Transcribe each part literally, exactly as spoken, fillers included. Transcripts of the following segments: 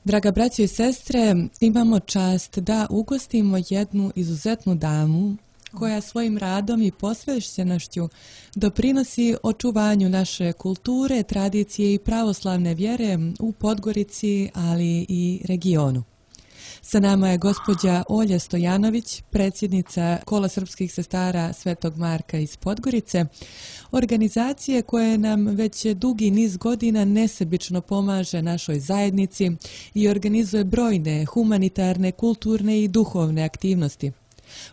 Draga braćo i sestre, imamo čast da ugostimo jednu izuzetnu damu koja svojim radom i posvećenošću doprinosi očuvanju naše kulture, tradicije i pravoslavne vjere u Podgorici, ali i regionu. Sa nama je gospođa Olja Stojanović, predsjednica Kola srpskih sestara Svetog Marka iz Podgorice, organizacije koje nam već dugi niz godina nesebično pomaže našoj zajednici i organizuje brojne humanitarne, kulturne i duhovne aktivnosti.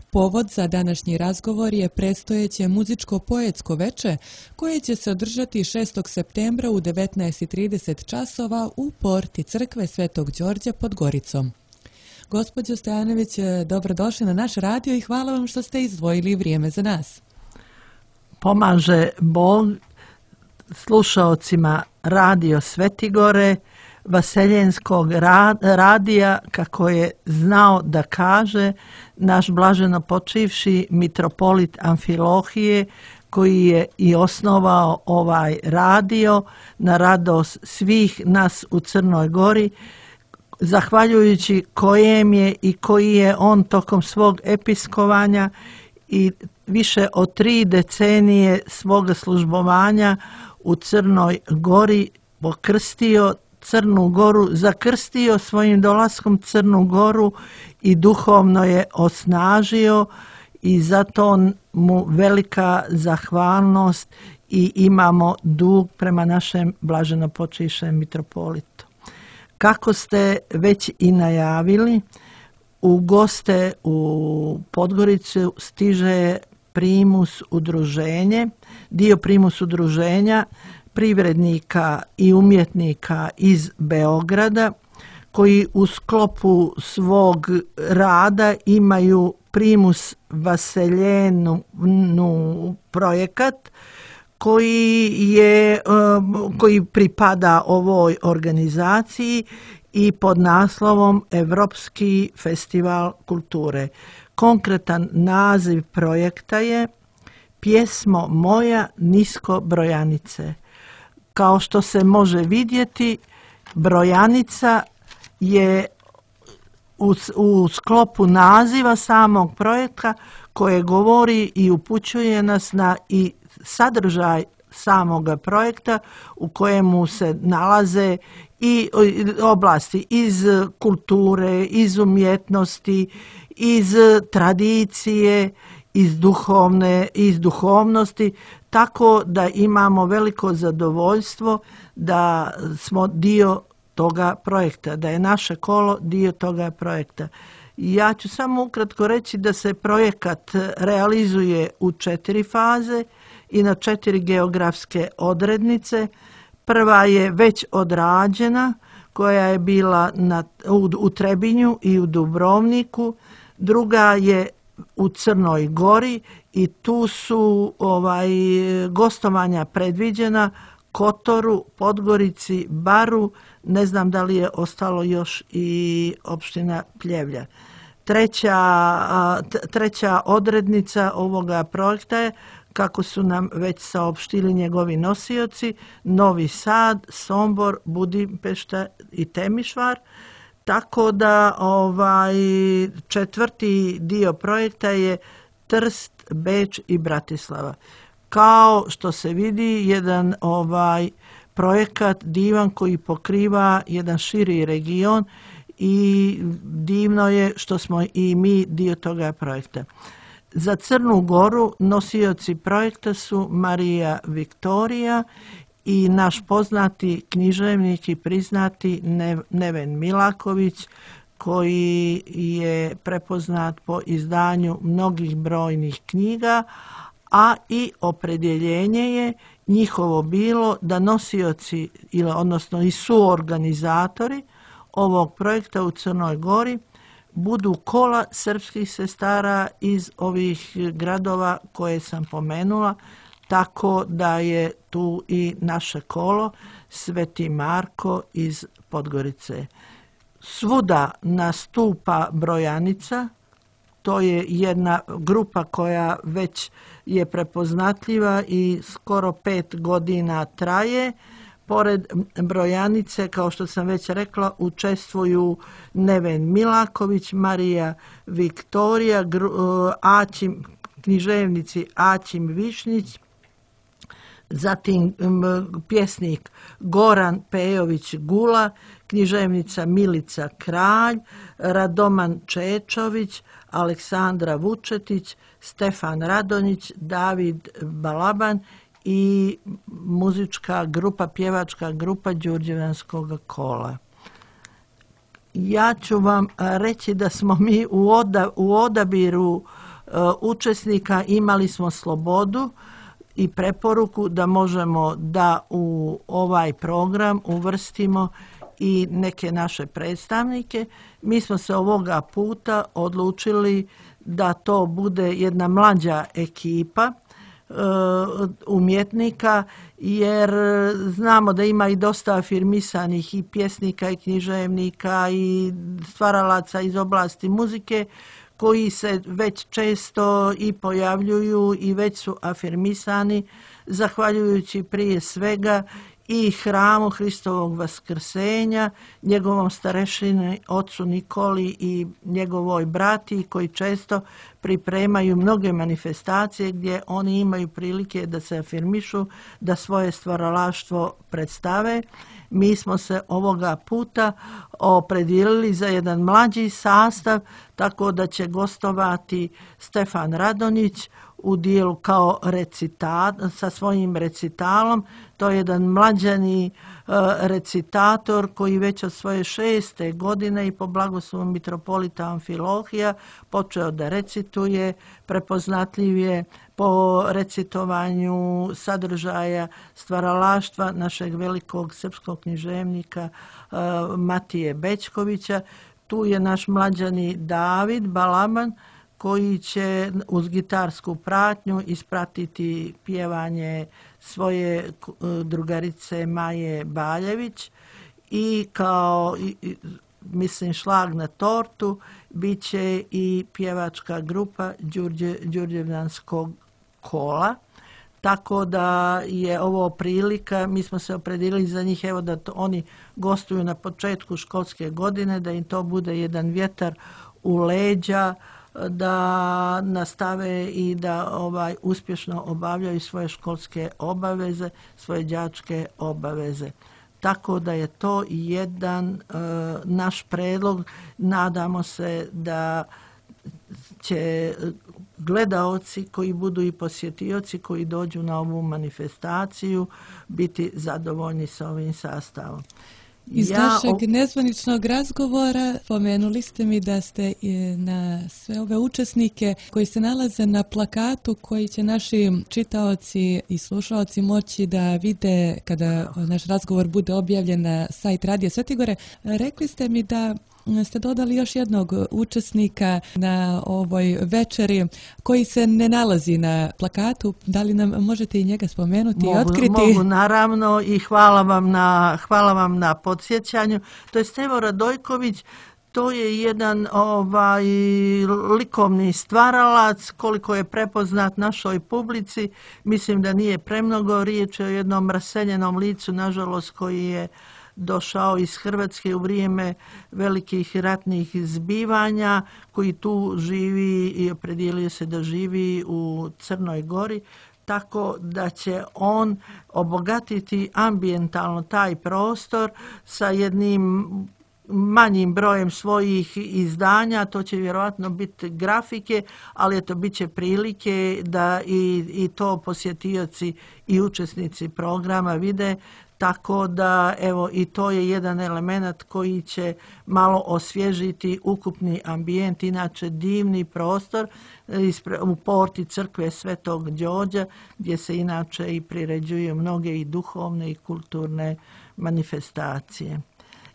Povod za današnji razgovor je predstojeće muzičko-poetsko veče koje će se održati šestog septembra u devetnaest i trideset časova u porti crkve Svetog Đorđa pod Goricom. Gospođo Stojanović, dobrodošli na naš radio i hvala vam što ste izdvojili vrijeme za nas. Pomaže Bog slušaocima Radio Svetigore, Vaseljenskog radija, kako je znao da kaže naš blaženo počivši mitropolit Amfilohije, koji je i osnovao ovaj radio na radost svih nas u Crnoj Gori, zahvaljujući kojem je i koji je on tokom svog episkovanja i više od tri decenije svoga službovanja u Crnoj Gori pokrstio Crnu Goru, zakrstio svojim dolaskom Crnu Goru i duhovno je osnažio i zato mu velika zahvalnost i imamo dug prema našem blaženopočivšem mitropolitu. Kako ste već i najavili, u goste u Podgoricu stiže primus udruženje, dio primus udruženja privrednika i umjetnika iz Beograda, koji u sklopu svog rada imaju primus Vaseljenu projekat, koji je koji pripada ovoj organizaciji i pod naslovom Evropski festival kulture. Konkretan naziv projekta je Pjesmo moja nisko brojanice. Kao što se može vidjeti, brojanica je u, u sklopu naziva samog projekta koje govori i upućuje nas na i sadržaj samoga projekta u kojemu se nalaze i oblasti iz kulture, iz umjetnosti, iz tradicije, iz duhovne, iz duhovnosti, tako da imamo veliko zadovoljstvo da smo dio toga projekta, da je naše kolo dio toga projekta. Ja ću samo ukratko reći da se projekat realizuje u četiri faze i na četiri geografske odrednice. Prva je već odrađena, koja je bila na, u, u Trebinju i u Dubrovniku. Druga je u Crnoj Gori i tu su ovaj, gostovanja predviđena Kotoru, Podgorici, Baru, ne znam da li je ostalo još i opština Pljevlja. Treća, treća odrednica ovoga projekta je, kako su nam već saopštili njegovi nosioci, Novi Sad, Sombor, Budimpešta i Temišvar. Tako da ovaj četvrti dio projekta je Trst, Beč i Bratislava. Kao što se vidi, jedan ovaj projekat divan koji pokriva jedan širi region i divno je što smo i mi dio toga projekta. Za Crnu Goru nosioci projekta su Marija Viktorija i naš poznati književnik i priznati Neven Milaković, koji je prepoznat po izdanju mnogih brojnih knjiga, a i opredjeljenje je njihovo bilo da nosioci, odnosno i suorganizatori ovog projekta u Crnoj Gori budu kola srpskih sestara iz ovih gradova koje sam pomenula, tako da je tu i naše kolo Sveti Marko iz Podgorice. Svuda nastupa brojanica, to je jedna grupa koja već je prepoznatljiva i skoro pet godina traje. Pored brojanice, kao što sam već rekla, učestvuju Neven Milaković, Marija Viktorija, Aćim, književnici Aćim Višnjić, zatim pjesnik Goran Pejović Gula, književnica Milica Kralj, Radoman Čečović, Aleksandra Vučetić, Stefan Radonjić, David Balaban i muzička grupa, pjevačka grupa Đurđevdanskog kola. Ja ću vam reći da smo mi u, oda, u odabiru uh, učesnika imali smo slobodu i preporuku da možemo da u ovaj program uvrstimo i neke naše predstavnike. Mi smo se ovoga puta odlučili da to bude jedna mlađa ekipa uh, umjetnika, jer znamo da ima i dosta afirmisanih i pjesnika i književnika i stvaralaca iz oblasti muzike koji se već često i pojavljuju i već su afirmisani, zahvaljujući prije svega i hramu Hristovog vaskrsenja, njegovom starešini ocu Nikoli i njegovoj brati koji često pripremaju mnoge manifestacije gdje oni imaju prilike da se afirmišu, da svoje stvaralaštvo predstave. Mi smo se ovoga puta opredijelili za jedan mlađi sastav, tako da će gostovati Stefan Radonjić u dijelu kao recitat, sa svojim recitalom. To je jedan mlađani uh, recitator koji već od svoje šeste godine i po blagoslovu mitropolita Amfilohija počeo da recituje, prepoznatljiv je po recitovanju sadržaja stvaralaštva našeg velikog srpskog književnika uh, Matije Bećkovića. Tu je naš mlađani David Balaban koji će uz gitarsku pratnju ispratiti pjevanje svoje drugarice Maje Baljević i kao, mislim, šlag na tortu bit će i pjevačka grupa Đurđe, Đurđevdanskog kola. Tako da je ovo prilika, mi smo se opredijelili za njih, evo da to, oni gostuju na početku školske godine, da im to bude jedan vjetar u leđa, da nastave i da ovaj uspješno obavljaju svoje školske obaveze, svoje đačke obaveze. Tako da je to jedan uh, naš predlog. Nadamo se da će gledaoci koji budu i posjetioci koji dođu na ovu manifestaciju biti zadovoljni sa ovim sastavom. Iz ja, našeg nezvaničnog razgovora pomenuli ste mi da ste na sve ove učesnike koji se nalaze na plakatu koji će naši čitaoci i slušaoci moći da vide kada naš razgovor bude objavljen na sajt Radija Svetigore, rekli ste mi da ste dodali još jednog učesnika na ovoj večeri koji se ne nalazi na plakatu. Da li nam možete i njega spomenuti mogu, i otkriti? Mogu, naravno, i hvala vam na, hvala vam na podsjećanju. To je Stevo Radojković. To je jedan ovaj likovni stvaralac, koliko je prepoznat našoj publici. Mislim da nije premnogo, riječ je o jednom raseljenom licu, nažalost, koji je došao iz Hrvatske u vrijeme velikih ratnih zbivanja, koji tu živi i opredijelio se da živi u Crnoj Gori, tako da će on obogatiti ambijentalno taj prostor sa jednim manjim brojem svojih izdanja. To će vjerojatno biti grafike, ali eto, bit će prilike da i, i to posjetioci i učesnici programa vide. Tako da, evo, i to je jedan element koji će malo osvježiti ukupni ambijent, inače divni prostor u porti crkve Svetog Đorđa, gdje se inače i priređuju mnoge i duhovne i kulturne manifestacije.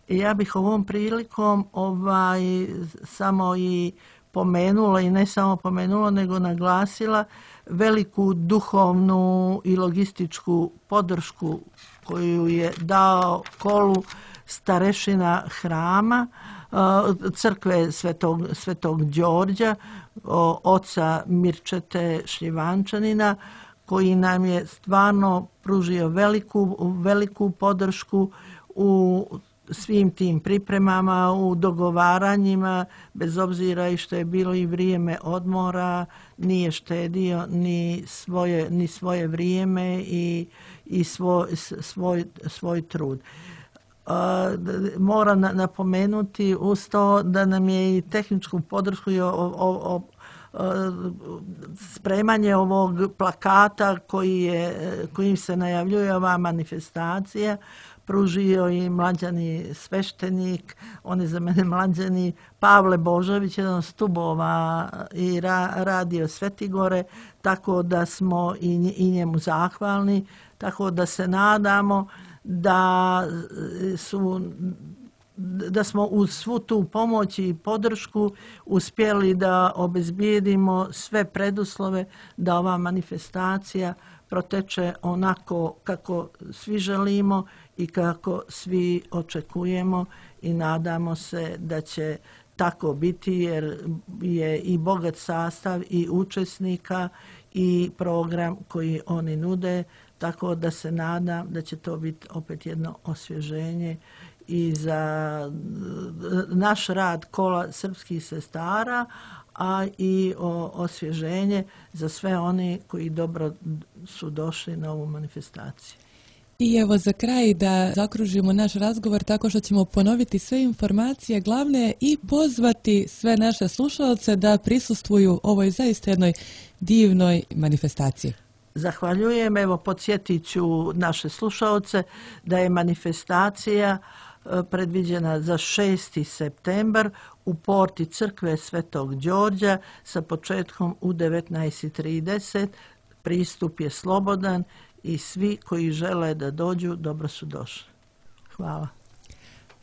I ja bih ovom prilikom ovaj, samo i pomenula, i ne samo pomenula, nego naglasila veliku duhovnu i logističku podršku koju je dao kolu starešina hrama crkve Svetog, Svetog Đorđa, oca Mirčete Šljivančanina, koji nam je stvarno pružio veliku, veliku podršku u svim tim pripremama, u dogovaranjima, bez obzira i što je bilo i vrijeme odmora, nije štedio ni svoje, ni svoje vrijeme i, i svoj, svoj, svoj trud. Moram napomenuti uz to da nam je i tehničku podršku i o, o, o, spremanje ovog plakata koji je, kojim se najavljuje ova manifestacija pružio i mlađani sveštenik, on je za mene mlađani Pavle Božović, jedan od stubova i ra, radio Svetigore, tako da smo i, i njemu zahvalni, tako da se nadamo da su da smo uz svu tu pomoć i podršku uspjeli da obezbijedimo sve preduslove da ova manifestacija proteče onako kako svi želimo i kako svi očekujemo i nadamo se da će tako biti jer je i bogat sastav i učesnika i program koji oni nude, tako da se nadam da će to biti opet jedno osvježenje i za naš rad kola srpskih sestara, a i osvježenje za sve oni koji dobro su došli na ovu manifestaciju. I evo za kraj da zakružimo naš razgovor tako što ćemo ponoviti sve informacije glavne i pozvati sve naše slušalce da prisustvuju ovoj zaista jednoj divnoj manifestaciji. Zahvaljujem. Evo, podsjetit ću naše slušalce da je manifestacija predviđena za šesti septembar u porti crkve Svetog Đorđa sa početkom u devetnaest trideset. Pristup je slobodan i svi koji žele da dođu dobro su došli. Hvala.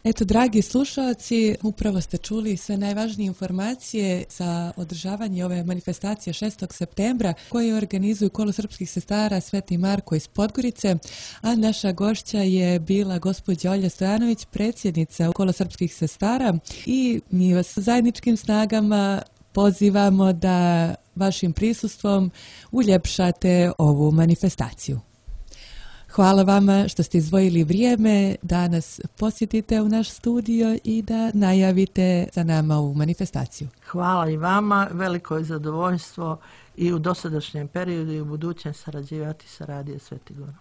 Eto, dragi slušalci, upravo ste čuli sve najvažnije informacije za održavanje ove manifestacije šestog septembra koje organizuju Kolo srpskih sestara Sveti Marko iz Podgorice, a naša gošća je bila gospođa Olja Stojanović, predsjednica Kolo srpskih sestara i mi vas zajedničkim snagama pozivamo da vašim prisustvom uljepšate ovu manifestaciju. Hvala vama što ste izdvojili vrijeme da nas posjetite u naš studio i da najavite za nama ovu manifestaciju. Hvala i vama, veliko je zadovoljstvo i u dosadašnjem periodu i u budućem sarađivati sa Radio Svetigorom.